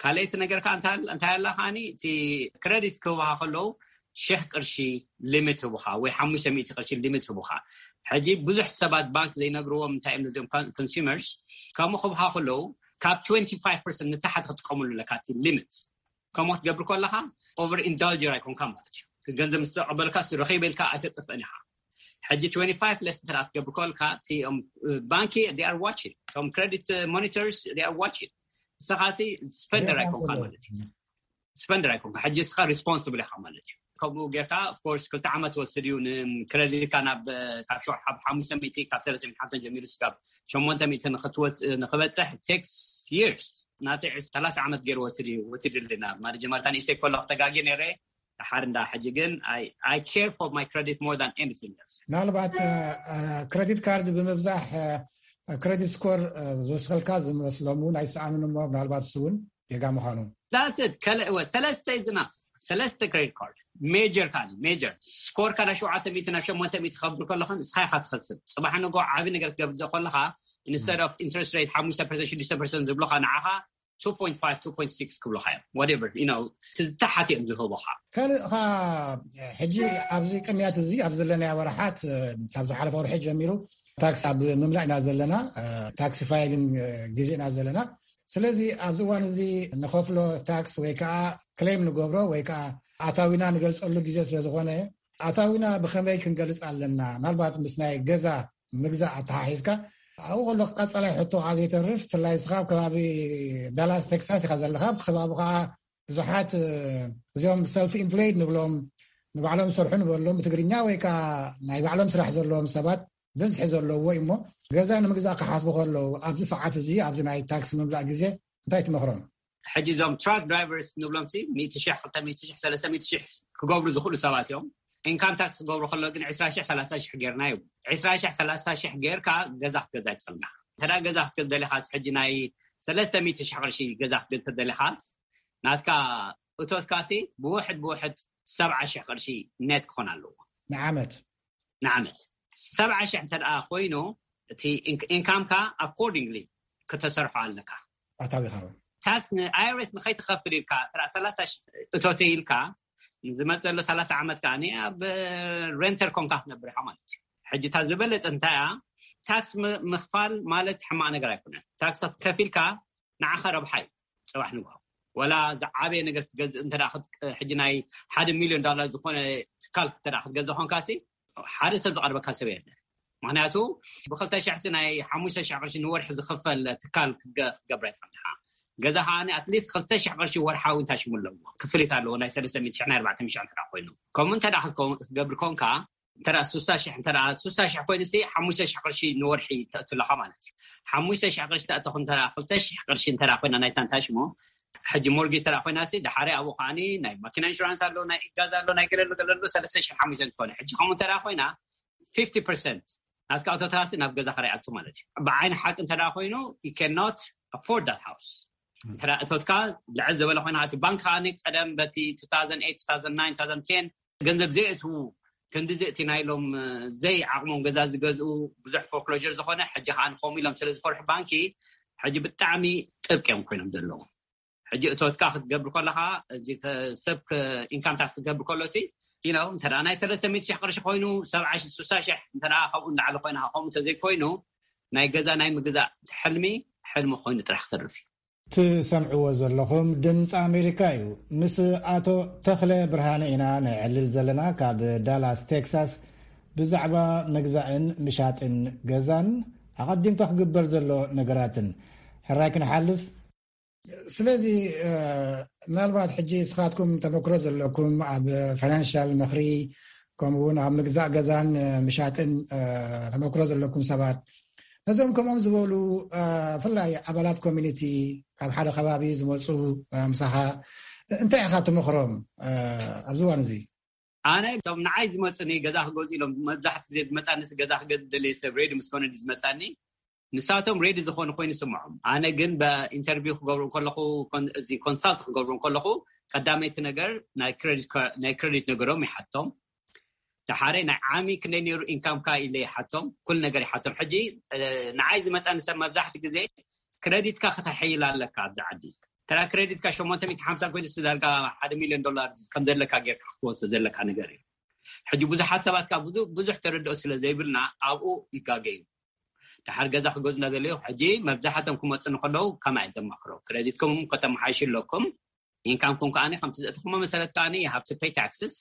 ካልኣይቲ ነገር ከኣ እንታ-፣ እንታይ ኣላ ከኣኒ፣ እቲ ክረዲት ክህቡኻ ከለዉ ሽሕ ቅርሺ ሊሚት ህቡኻ ወይ ሓሙሽተ ሚእቲ ቅርሺ ሊሚት ህቡኻ። ሕጂ ብዙሕ ሰባት ባንክ ዘይነግርዎም እንታይ እዮም ነዚኦም ኮን-፣ ኮንሱመርስ፣ ከምኡ ክህቡኻ ከለዉ ካብ ትወንቲ ፋይቭ ፐርሰንት ንታሕቲ ክትጥቀመሉ ኣለካ እቲ ሊሚት። ከምኡ ክትገብር ከለኻ ኦቨር ኢንዳልጀር ኣይኮንካ ማለት እዩ። ገንዘብ ምስ ተቐበልካ ረኺበ ኢልካ ኣይተጥፍእን ኢኻ። ሕጂ ትወንቲ ፋይቭ ለስ እንተ ደኣ ክትገብር ከለካ፣ እቲ፣ እም፣ ባንኪ they are watching፣ እቶም ክረዲት ሞኒተርስ they are watching። ንስኻ ሲ ስፐንደር ኣይኮንካ ማለት እዩ። ስፐንደር ኣይኮንካ፣ ሕጂ ንስኻ ሪስፖንስብል ኢኻ ማለት እዩ። ከምኡ ጌርካ፣ ኦፍ ኮርስ፣ ክልተ ዓመት ወስድ እዩ ንክረዲትካ ናብ፣ ካብ ሸው-፣ ካብ ሓሙሽተ ሚእቲ፣ ካብ ሰለስተ ሚእቲ ሓምሳን ጀሚሩ እስካብ ሸሞንተ ሚእቲ ንክትወስ-፣ ንክበጽሕ ቴክስ ይርስ። ናተይ ዕስ-፣ ሰላሳ ዓመት ገይሩ ወሲድ እዩ፣ ወሲድልና። ማለት ጀመርታ ንእሽተይ ከሎ ክተጋግየ ነይረ፣ ድሓር እንዳ ሕጂ ግን፣ I, I care for my credit more than anything else። ምናልባት፣ እ፣ እ፣ ክሬዲት ካርድ ብምብዛሕ፣ እ፣ ክሬዲት ስኮር፣ እ፣ ዝውስኸልካ ዝመስሎም እውን ኣይሰኣኑን እሞ፣ ምናልባት እሱ እውን ጌጋ ምዃኑ። That's it። ከለ-፣ እወ፣ ሰለስተ ዝና-፣ ሰለስተ ክሬዲት ካርድ። ሜጀር ካኒ፣ ሜጀር። ስኮርካ ናብ ሸውዓተ ሚእቲ ናብ ሸሞንተ ሚእቲ ከብር ከለኻ፣ ንስኻ ኢኻ ትኸስር። ጽባሕ ንግሆ ዓቢ ነገር ክትገብር ዘ-፣ ከለኻ፣ ኢንስተድ ኦፍ ኢንትረስት ሬት ሓሙሽተ ፐርሰንት፣ ሽዱሽተ ፐርሰንት ዝብሉኻ፣ ንዓኻ ቱ ፖይንት ፋይቭ፣ ቱ ፖይንት ሲክስ ክብሉኻ እዮም። Whatever፣ you know፣ እቲ ዝተሓት እዮም ዝህቡኻ። ካልእ ኸኣ፣ ሕጂ ኣብዚ ቅንያት እዚ፣ ኣብ ዘለናዮ ወርሓት፣ ካብ ዝሓለፈ ወርሒ ጀሚሩ፣ ታክስ ኣብ ምምላእ ኢና ዘለና። ታክሲ ፋይሊንግ ግዜ ኢና ዘለና። ስለዚ ኣብዚ እዋን እዚ ንኸፍሎ ታክስ ወይ ከዓ ክሌም ንገብሮ ወይ ከዓ ኣታዊና ንገልጸሉ ግዜ ስለ ዝኾነ፣ ኣታዊና ብኸመይ ክንገልጽ ኣለና? ምናልባት ምስ ናይ ገዛ ምግዛእ ኣተሓሒዝካ፣ ኣብኡ ከሎ ቀጻላይ ሕቶ ከዓ ዘይተርፍ፣ ብፍላይ ንስኻ ኣብ ከባቢ ዳላስ ቴክሳስ ኢኻ ዘለኻ፣ ኣብ ከባቢ ከዓ ብዙሓት፣ እ፣ እዚኦም ሰልፍ ኢምፕሎይድ ንብሎም፣ ንባዕሎም ዝሰርሑ ንበሎም ብትግርኛ፣ ወይ ከዓ ናይ ባዕሎም ስራሕ ዘለዎም ሰባት ብዝሒ ዘለዎ እዩ። እሞ ገዛ ንምግዛእ ክሓስቡ ከለዉ፣ ኣብዚ ሰዓት እዚ፣ ኣብዚ ናይ ታክስ ምምላእ ግዜ እንታይ ትመኽሮም? ሕጂ እዞም ትራክ ድራይቨርስ ንብሎም ሲ፣ ሚእቲ ሽሕ፣ ክልተ ሚእቲ ሽሕ፣ ሰለስተ ሚእቲ ሽሕ ክገብሩ ዝኽእሉ ሰባት እዮም። ኢንካም ታክስ ክገብሩ ከሎ ግን ዕስራ ሽሕ ሰላሳ ሽሕ ጌርና እዩ። ዕስራ ሽሕ ሰላሳ ሽሕ ጌርካ ገዛ ክትገዛ ይትኽእልና። እንተ ገዛ ክትገዝ ደሊኻስ፣ ሕጂ ናይ ሰለስተ ሚእቲ ሽሕ ቅርሺ ገዛ ክትገዝ ተደሊኻስ፣ ናትካ እቶትካሲ ብውሕድ ብውሕድ ሰብዓ ሽሕ ቅርሺ ኔት ክኾን ኣለዎ። ንዓመት። ንዓመት ሰብዓ ሽሕ እንተ ደኣ ኮይኑ፣ እቲ ኢንካምካ ኣኮርዲንግሊ ክተሰርሖ ኣለካ። ኣታዊኻ ታክስ ንኣይረስ ንኸይትኸፍል ኢልካ፣ ጥራ ሰላሳ ሽሕ እቶተ ኢልካ ዝመጽእ ዘሎ ሰላሳ ዓመት ከዓኒ ኣብ ሬንተር ኮንካ ክትነብር ኢኻ ማለት እዩ። ሕጂ እታ ዝበለጸ እንታይ እያ? ታክስ ምኽፋል ማለት ሕማቕ ነገር ኣይኮነን። ታክስ ከፊልካ ንዓኻ ረብሓ እዩ። ጽባሕ ንግሆ ወላ ዝዓበየ ነገር ክትገዝእ እንተ፣ ሕጂ ናይ ሓደ ሚልዮን ዶላር ዝኾነ ትካል ክትገዝእ ኮንካሲ፣ ሓደ ሰብ ዝቐርበካ ሰብ የለ። ምክንያቱ ብክልተ ሽሕ ናይ ሓሙሽተ ሽሕ ቅርሺ ንወርሒ ዝኽፈል ትካል ክትገብረ ይትኽእል። ገዛ ከዓ ኣትሊስት ክልተ ሽሕ ቅርሺ ወርሓዊ እንታይ ሽሙ ኣለዎ፣ ክፍሊት ኣለዎ። ናይ ሰለስተ ሚእቲ ሽሕ ናይ ኣርባዕተ ሚእቲ ሽሕ እንተ ኮይኑ፣ ከምኡ እንተ ክትገብር ኮንካ፣ እንተ ሱሳ ሽሕ እንተ ሱሳ ሽሕ ኮይኑ ሲ ሓሙሽተ ሽሕ ቅርሺ ንወርሒ ተእትለኻ ማለት እዩ። ሓሙሽተ ሽሕ ቅርሺ ተእተኹ እንተ ክልተ ሽሕ ቅርሺ እንተ ኮይና ናይ ታንታ ሽሙ፣ ሕጂ ሞርጌጅ ተራ ኮይና ሲ፣ ድሓሪ ኣብኡ ከዓኒ ናይ ማኪና ኢንሹራንስ ኣሎ፣ ናይ ኢጋዝ ኣሎ፣ ናይ ገለሉ ገለሉ ሰለስተ ሽሕ ሓሙሽተ ትኾነ። ሕጂ ከምኡ እንተ ኮይና፣ ፊፍቲ ፐርሰንት ናትካ እቶታሲ ናብ ገዛ ክረይኣቱ ማለት እዩ። ብዓይኒ ሓቂ እንተ ኮይኑ፣ you cannot afford that house። እንተ እቶትካ ልዕል ዝበለ ኮይና፣ እቲ ባንክ ከዓኒ ቀደም በቲ two thousand eight two thousand nine two thousand ten ገንዘብ ዘይእትዉ፣ ክንዲ ዘእቲና ኢሎም ዘይዓቕሞም ገዛ ዝገዝኡ፣ ብዙሕ ፎርክሎጀር ዝኾነ፣ ሕጂ ከዓ ንኸምኡ ኢሎም ስለ ዝፈርሑ ባንኪ፣ ሕጂ ብጣዕሚ ጥብቂ እዮም ኮይኖም ዘለዉ። ሕጂ እቶትካ ክትገብር ከለኻ፣ ሰብ ኢንካም ታክስ ክትገብር ከሎ ሲ፣ you know፣ እንተ ናይ ሰለስተ ሚእቲ ሽሕ ቅርሺ ኮይኑ፣ ሰብዓ ሽሕ፣ ስሳ ሽሕ እንተ ካብኡ ንላዕሊ ኮይና፣ ከምኡ እንተዘይኮይኑ፣ ናይ ገዛ ናይ ምግዛእ ሕልሚ፣ ሕልሚ ኮይኑ ጥራሕ ክተርፍ እዩ። ትሰምዕዎ ዘለኹም ድምፂ ኣሜሪካ እዩ። ምስ ኣቶ ተኽለ ብርሃነ ኢና ንዕልል ዘለና፣ ካብ ዳላስ ቴክሳስ፣ ብዛዕባ ምግዛእን ምሻጥን ገዛን ኣቐዲምካ ክግበር ዘሎ ነገራትን። ሕራይ ክንሓልፍ። ስለዚ ምናልባት ሕጂ ንስኻትኩም ተመክሮ ዘለኩም ኣብ ፋይናንሻል ምኽሪ፣ ከምኡ እውን ኣብ ምግዛእ ገዛን ምሻጥን ተመክሮ ዘለኩም ሰባት፣ ነዞም ከምኦም ዝበሉ ብፍላይ ኣባላት ኮሚኒቲ ካብ ሓደ ከባቢ ዝመፁ ምሳኻ እንታይ ኢኻ ትመኽሮም ኣብዚ እዋን እዚ? ኣነ እቶም ንዓይ ዝመፁኒ ገዛ ክገዝኡ ኢሎም መብዛሕትኡ ግዜ ዝመፃኒ ገዛ ክገዝእ ደለየ ሰብ ሬዲ ምስ ኮነ ዝመፃኒ፣ ንሳቶም ሬዲ ዝኾኑ ኮይኑ ይስምዖም። ኣነ ግን ብኢንተርቪው ክገብሩ ከለኹ፣ እዚ ኮንሳልት ክገብሩ ከለኹ፣ ቀዳመይቲ ነገር ናይ ክሬዲት ነገሮም ይሓቶም። ድሓረ ናይ ዓሚ ክንደይ ነይሩ ኢንካምካ ኢለ ይሓቶም። ኩሉ ነገር ይሓቶም። ሕጂ ንዓይ ዝመፃኒ ሰብ መብዛሕትኡ ግዜ ክሬዲትካ ክተሐይል ኣለካ ኣብዚ ዓዲ። ተራ ክሬዲትካ ሸሞንተ ሚእቲ ሓምሳ ኮይኑ ዳርጋ ሓደ ሚልዮን ዶላር ከም ዘለካ ጌርካ ክትወስዶ ዘለካ ነገር እዩ። ሕጂ ብዙሓት ሰባት ከዓ ብዙሕ ተረድኦ ስለ ዘይብልና ኣብኡ ይጋገዩ። ድሓር ገዛ ክገዙ እናደለዩ ሕጂ መብዛሕቶም ክመፁ ንከለዉ ከማይ ዘማኽሮ ክሬዲትኩም ከተመሓይሹ ኣለኩም። ኢንካምኩም ከዓ ከምቲ ዘእትኹሞ መሰረት ከዓ you have to pay taxes።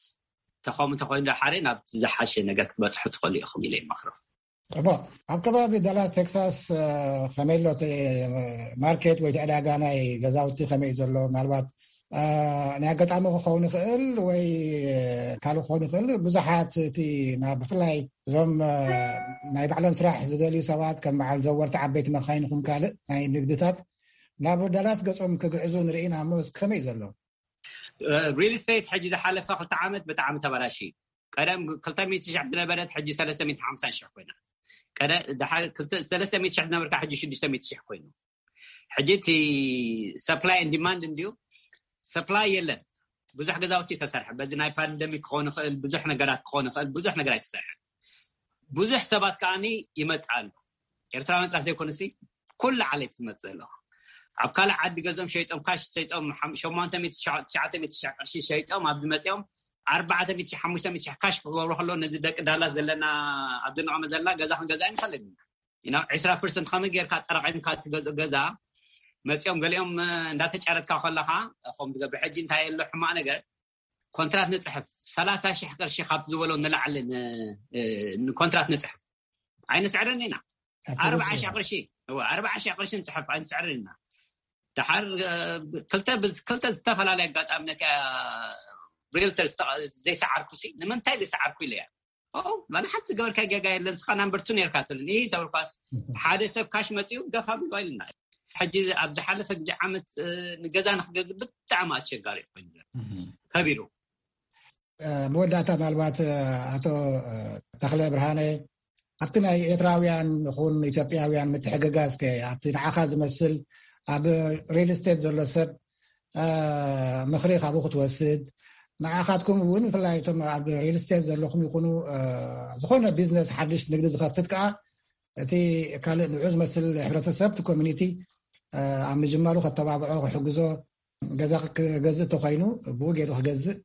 ተኸሙ ተኮይኑ ድሓረ ናብ ዝሓሸ ነገር ክትበፅሑ ትኽእሉ ኢኹም ኢለ ይመኽሮ። ኣብ ከባቢ ዳላስ ቴክሳስ ከመይ ኣሎ ማርኬት ወይ ዕዳጋ ናይ ገዛውቲ ከመይ እዩ ዘሎ? ምናልባት ናይ ኣጋጣሚ ክኸውን ይኽእል ወይ ካልእ ክኸውን ይኽእል። ብዙሓት እቲ ብፍላይ እዞም ናይ ባዕሎም ስራሕ ዝደልዩ ሰባት ከም በዓል ዘወርቲ ዓበይቲ መኻይን ይኹን ካልእ ናይ ንግድታት ናብ ዳላስ ገጾም ክግዕዙ ንርኢና እሞ እስኪ ከመይ እዩ ዘሎ? ሪል ስቴት ሕጂ ዝሓለፈ ክልተ ዓመት ብጣዕሚ ተበላሽ እዩ። ቀደም ክልተ ሚእቲ ሽሕ ዝነበረት ሕጂ ሰለስተ ሚእቲ ሓምሳ ሽሕ ኮይና። ሰለስተ ሚእቲ ሽሕ ዝነበርካ ሕጂ ሽዱሽተ ሚእቲ ሽሕ ኮይኑ። ሕጂ እቲ ሰፕላይ ን ዲማንድ እንድዩ። ሰፕላይ የለን። ብዙሕ ገዛውቲ ተሰርሐ። በዚ ናይ ፓንደሚክ ክኸውን ይኽእል፣ ብዙሕ ነገራት ክኸውን ይኽእል፣ ብዙሕ ነገር ኣይተሰርሐ። ብዙሕ ሰባት ከዓኒ ይመጽእ ኣሎ። ኤርትራውያን ጥራሕ ዘይኮኑሲ፣ ኩሉ ዓሌት ዝመጽእ ኣሎ። ኣብ ካልእ ዓዲ ገዞም ሸይጦም፣ ካሽ ሸይጦም፣ ሸሞንተ ሚእቲ፣ ትሽዓተ ሚእቲ ቅርሺ ሸይጦም፣ ኣብዚ መጺኦም ኣርባዕተ ሚእቲ፣ ሓሙሽተ ሚእቲ ካሽ ክገብሩ ከሎ፣ ነዚ ደቂ ዳላስ ዘለና ኣብዚ ንቐመ ዘለና ገዛ ክንገዛ ኣይንኽእልን ኢና። ዒስራ ፐርሰንት ከመይ ጌርካ ጠራቒምካ ትገዝኦ ገዛ? መጺኦም ገሊኦም እንዳተጫረትካ ከለኻ ከም ትገብር። ሕጂ እንታይ ኣሎ ሕማቕ ነገር? ኮንትራት ንጽሕፍ፣ ሰላሳ ሽሕ ቅርሺ ካብ ዝበሎ ንላዕሊ ንኮንትራት ንጽሕፍ። ኣይንስዕርን ኢና። ኣርባዓ ሽሕ ቅርሺ፣ ኣርባዓ ሽሕ ቅርሺ ንጽሕፍ ኣይንስዕርን ኢና። ድሓር ክልተ ብዝ ክልተ ዝተፈላለየ ኣጋጣሚ ነቲ ሪልተር ዘይሰዓርኩ ሲ ንምንታይ ዘይሰዓርኩ ኢለ እያ። ኦ፣ ዋላ ሓንቲ ዝገበርካ ጌጋ የለን፣ ንስኻ ናምበር ቱ ነርካ ትብልኒ። ይህ ተብልኳስ ሓደ ሰብ ካሽ መጺኡ ገፋ ቢሉ ኣይልና። ሕጂ ኣብ ዝሓለፈ ግዜ ዓመት ንገዛ ንክገዝእ ብጣዕሚ ኣስቸጋሪ ኮይኑ ከቢሩ። መወዳእታ ምናልባት ኣቶ ተኽለ ብርሃነ፣ ኣብቲ ናይ ኤርትራውያን ይኹን ኢትዮጵያውያን ምትሕግጋዝ ከ ኣብቲ ንዓኻ ዝመስል ኣብ ሪል ስቴት ዘሎ ሰብ ምኽሪ ካብኡ ክትወስድ፣ ንዓኻትኩም እውን ብፍላይ እቶም ኣብ ሪል ስቴት ዘለኹም ይኹኑ፣ ዝኾነ ቢዝነስ ሓድሽ ንግዲ ዝኸፍት ከዓ፣ እቲ ካልእ ንዑ ዝመስል ሕብረተሰብ፣ እቲ ኮሚኒቲ ኣብ ምጅማሩ ከተባብዖ፣ ክሕግዞ፣ ገዛ ክገዝእ ተኮይኑ ብኡ ገይሩ ክገዝእ፣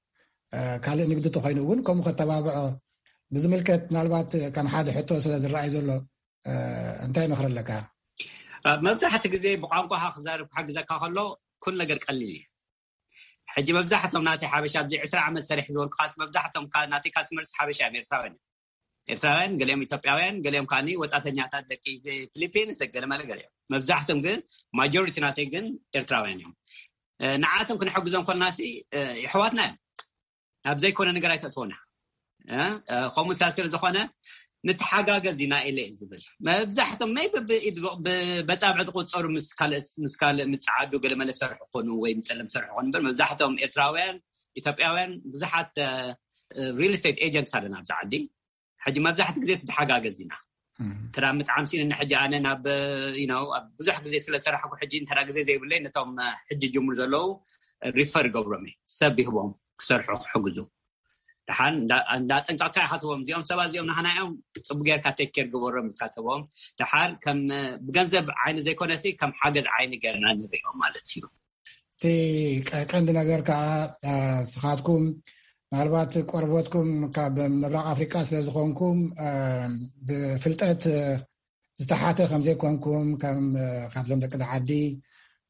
ካልእ ንግዲ ተኮይኑ እውን ከምኡ ከተባብዖ ብዝምልከት፣ ምናልባት ከም ሓደ ሕቶ ስለ ዝረኣይ ዘሎ እንታይ ምኽሪ ኣለካ? መብዛሕቲ ግዜ ብቋንቋኻ ክዛርብ ክሕግዘካ ከሎ ኩሉ ነገር ቀሊል እዩ። ሕጂ መብዛሕቶም ናተይ ሓበሻ ኣብዚ ዕስራ ዓመት ሰሪሕ ዝበልኩኻስ መብዛሕቶም ናተይ ካስመርስ ሓበሻ እዮም፣ ኤርትራውያን እዮም። ኤርትራውያን፣ ገሊኦም ኢትዮጵያውያን፣ ገሊኦም ከዓኒ ወጻተኛታት፣ ደቂ ፊሊፒንስ፣ ደቂ ገለመለ ገሊኦም። መብዛሕቶም ግን፣ ማጆሪቲ ናተይ ግን ኤርትራውያን እዮም። ንዓቶም ክንሕግዞም ኮልናሲ፣ ይሕዋትና እዮም። ኣብ ዘይኮነ ነገር ኣይተእትወና። ከምኡ ሳ ስለ ዝኾነ፣ ንተሓጋገዝ ኢና ኢለ ዝብል። መብዛሕቶም መይ ብኢድ ብበጻብዕ ዝቁጸሩ ምስ ካልእ ምስ ካልእ ምጽዓዱ፣ ገለመለ ሰርሑ ኾኑ ወይ ምጸለም ሰርሑ ኾኑ እምበር፣ መብዛሕቶም ኤርትራውያን፣ ኢትዮጵያውያን፣ ብዙሓት ሪል ስቴት ኤጀንትስ ኣለና ኣብዚ ዓዲ። ሕጂ መብዛሕቲ ግዜ ትተሓጋገዝ ኢና። ተዳ ምጥዓም ሲን ሕጂ ኣነ ናብ፣ you know፣ ኣብ ብዙሕ ግዜ ስለ ሰራሕኩ፣ ሕጂ እንተዳ ግዜ ዘይብለይ፣ ነቶም ሕጂ ጅምሩ ዘለዉ ሪፈር ይገብሮም እየ። ሰብ ይህቦም ክሰርሑ ክሕግዙ። ደሓን እንዳ ጠንቀቕካ ኢኻ ትቦም፣ እዚኦም ሰባት እዚኦም ናህና እዮም፣ ጽቡቅ ጌርካ ቴክ ኬር ግበሮም ኢልካ ትቦም። ደሓር ከም ብገንዘብ ዓይኒ ዘይኮነሲ ከም ሓገዝ ዓይኒ ጌርና ንሪኦም ማለት እዩ። እቲ ቀንዲ ነገር ከዓ፣ ስኻትኩም ምናልባት ቆርቦትኩም ካብ ምብራቕ ኣፍሪቃ ስለ ዝኾንኩም፣ ብፍልጠት ዝተሓተ ከም ዘይኮንኩም፣ ከም ካብዞም ደቂ ዓዲ፣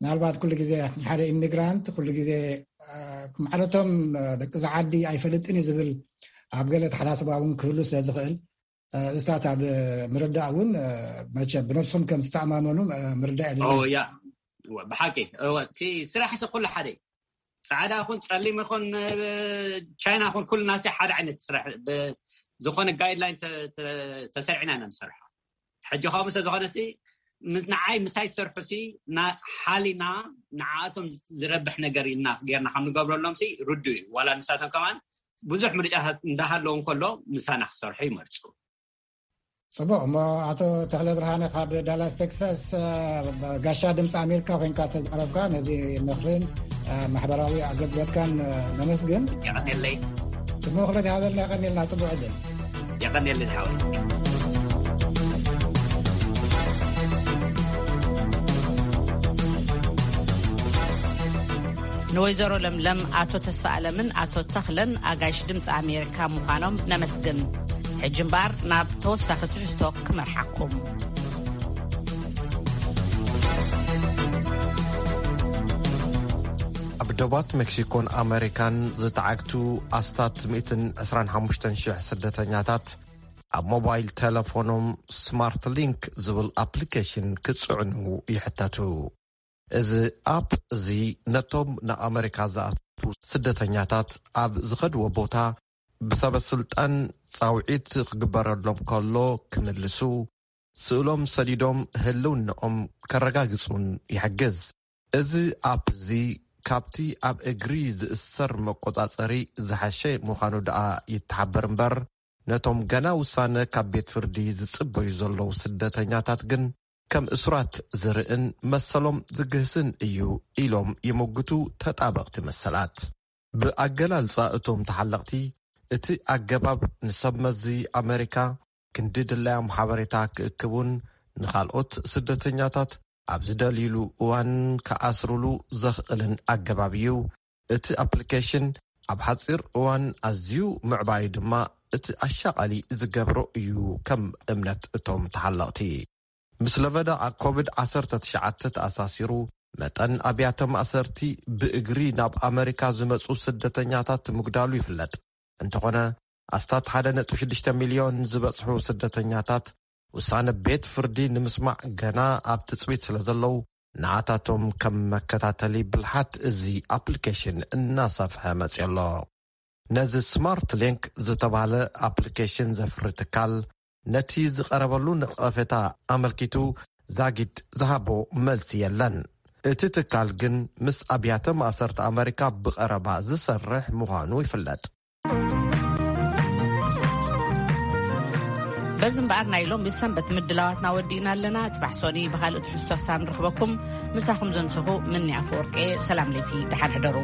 ምናልባት ኩሉ ግዜ ሓደ ኢሚግራንት ኩሉ ግዜ፣ ማዕለቶም፣ ደቂ ዓዲ ኣይፈልጥን እዩ ዝብል ኣብ ገለ ተሓሳስባ እውን ክህሉ ስለ ዝኽእል፣ እዚታት ኣብ ምርዳእ እውን፣ መቸ ብነብሶም ከም ዝተኣማመኑ ምርዳእ የድሊ። ያ፣ ብሓቂ። እቲ ስራሕ ሲ ኩሉ ሓደ እዩ። ጻዕዳ ይኹን ጸሊም ይኹን፣ ቻይና ይኹን፣ ኩሉ ናሲ ሓደ ዓይነት ስራሕ፣ ዝኾነ ጋይድላይን ተሰሪዕና ኢና ንሰርሖ። ሕጂ ከምኡ ስለ ዝኾነ ሲ ንዓይ ምሳይ ዝሰርሑ ሲ ሓሊና ንዓኣቶም ዝረብሕ ነገር ኢልና ጌርና ከም ንገብረሎም ሲ ርዱ እዩ። ዋላ ንሳቶም ከማን ብዙሕ ምርጫታት እንዳሃለዎም ከሎ ምሳና ክሰርሑ ይመርጹ። ጽቡቕ። እሞ ኣቶ ተኽለ ብርሃነ ካብ ዳላስ ቴክሳስ፣ ጋሻ ድምፂ ኣሜሪካ ኮይንካ ስለ ዝቐረብካ፣ ነዚ ምኽርን ማሕበራዊ ኣገልግሎትካን ነመስግን። የቐኔለይ። ጽቡቕ ምኽሪ ዝሃበልና የቐኔልና። ጽቡቕ ዕድል። የቐኔለይ ዝሓወይ። ንወይዘሮ ለምለም፣ ኣቶ ተስፋ ኣለምን ኣቶ ተኽለን ኣጋይሽ ድምፂ ኣሜሪካ ምዃኖም ነመስግን። ሕጂ እምበኣር ናብ ተወሳኺ ትሕዝቶ ክመርሓኩም። ኣብ ደባት ሜክሲኮን ኣሜሪካን ዝተዓግቱ ኣስታት ሚእትን ዕስራን ሓሙሽተን ሽሕ ስደተኛታት ኣብ ሞባይል ቴሌፎኖም ስማርት ሊንክ ዝብል ኣፕሊኬሽን ክጽዕኑ ይሕተቱ። እዚ ኣፕ እዚ ነቶም ንኣመሪካ ዝኣትዉ ስደተኛታት ኣብ ዝኸድዎ ቦታ ብሰበ ስልጣን ጻውዒት ክግበረሎም ከሎ ክምልሱ፣ ስእሎም ሰዲዶም ህልውናኦም ከረጋግጹን ይሕግዝ። እዚ ኣፕ እዚ ካብቲ ኣብ እግሪ ዝእሰር መቆጻጸሪ ዝሓሸ ምዃኑ ደኣ ይተሓበር እምበር፣ ነቶም ገና ውሳነ ካብ ቤት ፍርዲ ዝጽበዩ ዘለዉ ስደተኛታት ግን ከም እሱራት ዝርእን መሰሎም ዝግህስን እዩ ኢሎም ይምጉቱ ተጣበቕቲ መሰላት። ብኣገላልጻ እቶም ተሓለቕቲ፣ እቲ ኣገባብ ንሰብ መዚ ኣመሪካ ክንዲ ድላዮም ሓበሬታ ክእክቡን ንኻልኦት ስደተኛታት ኣብ ዝደልይሉ እዋን ክኣስሩሉ ዘኽእልን ኣገባብ እዩ። እቲ ኣፕሊኬሽን ኣብ ሓጺር እዋን ኣዝዩ ምዕባዩ ድማ እቲ ኣሻቓሊ ዝገብሮ እዩ፣ ከም እምነት እቶም ተሓለቕቲ። ምስ ለበዳ ኮቪድ ዓሰርተ ትሽዓተ ተኣሳሲሩ፣ መጠን ኣብያተ ማእሰርቲ ብእግሪ ናብ ኣመሪካ ዝመጹ ስደተኛታት ምጉዳሉ ይፍለጥ። እንተኾነ፣ ኣስታት ሓደ ነጥቢ ሽዱሽተ ሚልዮን ዝበጽሑ ስደተኛታት ውሳነ ቤት ፍርዲ ንምስማዕ ገና ኣብ ትጽቢት ስለ ዘለዉ፣ ንዓታቶም ከም መከታተሊ ብልሓት እዚ ኣፕሊኬሽን እናሰፍሐ መጺኡ ኣሎ። ነዚ ስማርት ሊንክ ዝተባህለ ኣፕሊኬሽን ዘፍሪ ትካል፣ ነቲ ዝቐረበሉ ነቐፌታ ኣመልኪቱ ዛጊድ ዝሃቦ መልሲ የለን። እቲ ትካል ግን ምስ ኣብያተ ማእሰርቲ ኣመሪካ ብቐረባ ዝሰርሕ ምዃኑ ይፍለጥ። በዚ እምበኣር ናይ ሎም ብሰንበት ምድላዋትና ወዲእና ኣለና። ጽባሕ ሶኒ ብኻልእ ትሕዝቶ ክሳብ ንረኽበኩም፣ ምሳኹም ዘምሰኹ ምኒ ኣፈወርቂ። ሰላም ለይቲ፣ ደሓን ሕደሩ።